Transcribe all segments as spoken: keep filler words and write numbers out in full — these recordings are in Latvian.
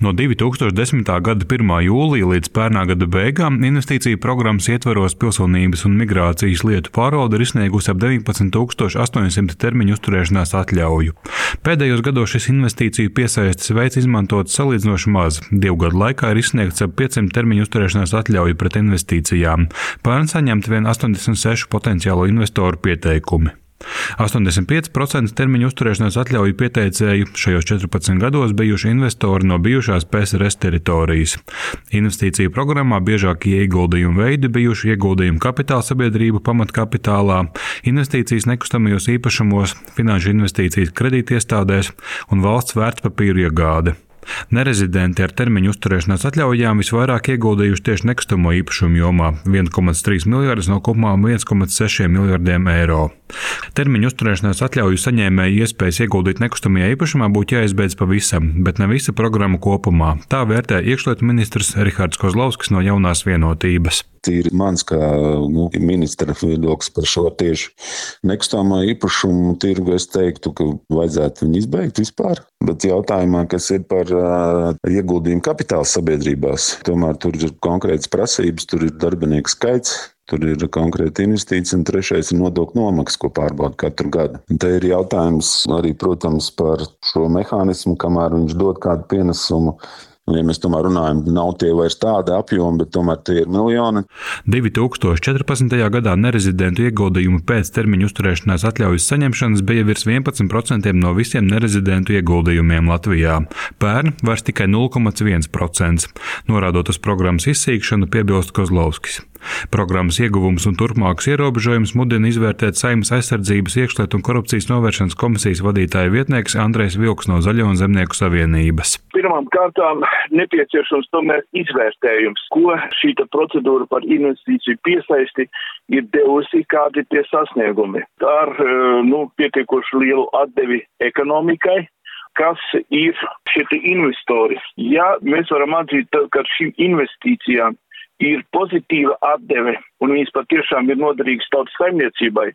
No divi tūkstoši desmitā gada pirmā jūlija līdz pērnā gada beigām investīciju programmas ietvaros pilsonības un migrācijas lietu pārvalde ir izsniegusi ap deviņpadsmit tūkstoši astoņsimt termiņu uzturēšanās atļauju. Pēdējos gados šis investīciju piesaistes veids izmantots salīdzinoši maz. Divu gadu laikā ir izsniegts ap piecsimt termiņu uzturēšanās atļauju pret investīcijām. Pērn saņemt vien astoņdesmit seši potenciālo investoru pieteikumi. astoņdesmit pieci procenti termiņu uzturēšanās atļauju pieteicēju šajos četrpadsmit gados bijuši investori no bijušās P S R S teritorijas. Investīciju programmā biežākie ieguldījumu veidi bijuši ieguldījumu kapitāla sabiedrību pamatkapitālā, investīcijas nekustamajos īpašumos, finanšu investīcijas kredītiestādēs un valsts vērtspapīru iegāde. Nerezidenti ar termiņu uzturēšanās atļaujām visvairāk ieguldījuši tieši nekustamo īpašumu jomā - viens komats trīs miljardus no kopumā viens komats seši miljardiem eiro. Termiņu uzturēšanās atļauju saņēmēju iespējas ieguldīt nekustamajā īpašumā būtu jāizbeidz pavisam, bet ne visa programma kopumā. Tā vērtē iekšlietu ministrs Rihards Kozlovskis no Jaunās vienotības. Tīri mans kā nu, ministra viedoklis par šo tieši nekustamo īpašumu tirgu, es teiktu, ka vajadzētu viņu izbeigt vispār. Bet jautājumā, kas ir par uh, ieguldījumu kapitāla sabiedrībās, tomēr tur ir konkrētas prasības, tur ir darbinieku skaits. Tur ir konkrēta investīcija, un trešais ir nodokļu nomaksa, ko pārbauda katru gadu. Un te ir jautājums arī, protams, par šo mehānismu, kamēr viņš dod kādu pienesumu. Ja mēs tomēr runājam, nav tie vairs tāda apjoma, bet tomēr tie ir miljoni. divi tūkstoši četrpadsmitajā gadā nerezidentu ieguldījumu pēc termiņu uzturēšanās atļaujas saņemšanas bija virs vienpadsmit procenti no visiem nerezidentu ieguldījumiem Latvijā. Pērn vairs tikai nulle komats viens procents. Norādot uz programmas izsīkšanu, piebilst Kozlovskis. Programmas ieguvums un turpmākas ierobežojums mudina izvērtēt Saeimas aizsardzības, iekšlietu un korupcijas novēršanas komisijas vadītāja vietnieks Andrejs Vilks no Zaļo un Zemnieku savienības. Pirmām kārtām nepieciešams tomēr izvērtējums, ko šīta procedūra par investīciju piesaisti ir devusi, kādi tie sasniegumi. Ar nu, pietiekoši lielu atdevi ekonomikai, kas ir šie investori. Ja mēs varam atzīt, ka šīm investīcijām ir pozitīva atdeve, un viņas patiešām ir noderīgas tautas saimniecībai,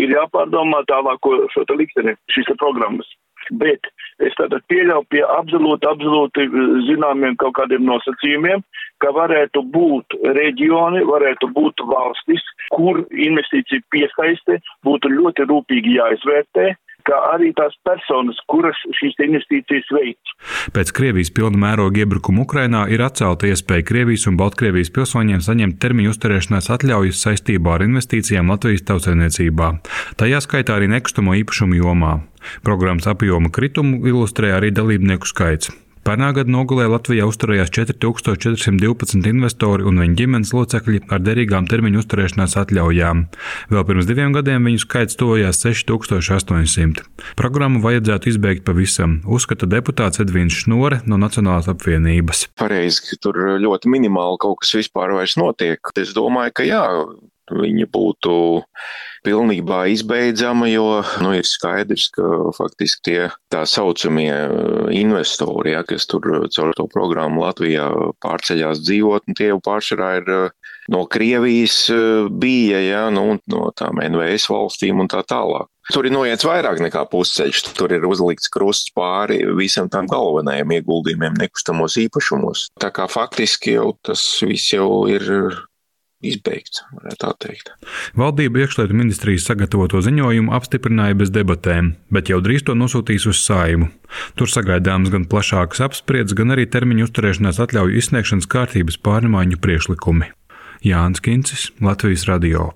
ir jāpārdomā tālāko šo te likteni, šīs programmas. Bet es tātad pieļauju pie absolūti, absolūti zināmiem kaut kādiem nosacījumiem, ka varētu būt reģioni, varētu būt valstis, kur investīcija piesaiste būtu ļoti rūpīgi jāizvērtē, kā arī tās personas, kuras šīs investīcijas veic. Pēc Krievijas pilna mēroga iebrukuma Ukrainā ir atcelta iespēja Krievijas un Baltkrievijas pilsoņiem saņemt termiņu uzturēšanās atļaujas saistībā ar investīcijām Latvijas tautsaimniecībā. Tajā skaitā arī nekustamo īpašumu jomā. Programmas apjoma kritumu ilustrē arī dalībnieku skaits. Pērnā gada nogalē Latvijā uzturējās četri tūkstoši četri simti divpadsmit investori un viņu ģimenes locekļi ar derīgām termiņu uzturēšanās atļaujām. Vēl pirms diviem gadiem viņu skaits tojās seši tūkstoši astoņsimt. Programmu vajadzētu izbeigt pavisam, uzskata deputāts Edvīns Šnore no Nacionālās apvienības. Pareizi, ka tur ļoti minimāli kaut kas vispār vairs notiek. Es domāju, ka jā, viņa būtu pilnībā izbeidzama, jo nu, ir skaidrs, ka faktiski tie tā saucamie investori, ja, kas tur caur to programmu Latvijā pārceļās dzīvot, un tie jau pārsvarā ir no Krievijas bija, ja, nu, no tām N V S valstīm un tā tālāk. Tur ir noiets vairāk nekā pusceļš, tur ir uzlikts krusts pāri visam tām galvenajiem ieguldījumiem nekustamos īpašumos. Tā kā faktiski jau tas viss jau ir izbeigts, varētu tā teikt. Valdība iekšlietu ministrijas sagatavoto ziņojumu apstiprināja bez debatēm, bet jau drīz to nosūtīs uz Saeimu. Tur sagaidāms gan plašākas apspriedes, gan arī termiņu uzturēšanās atļauju izsniegšanas kārtības pārmaiņu priekšlikumi. Jānis Kincis, Latvijas radio.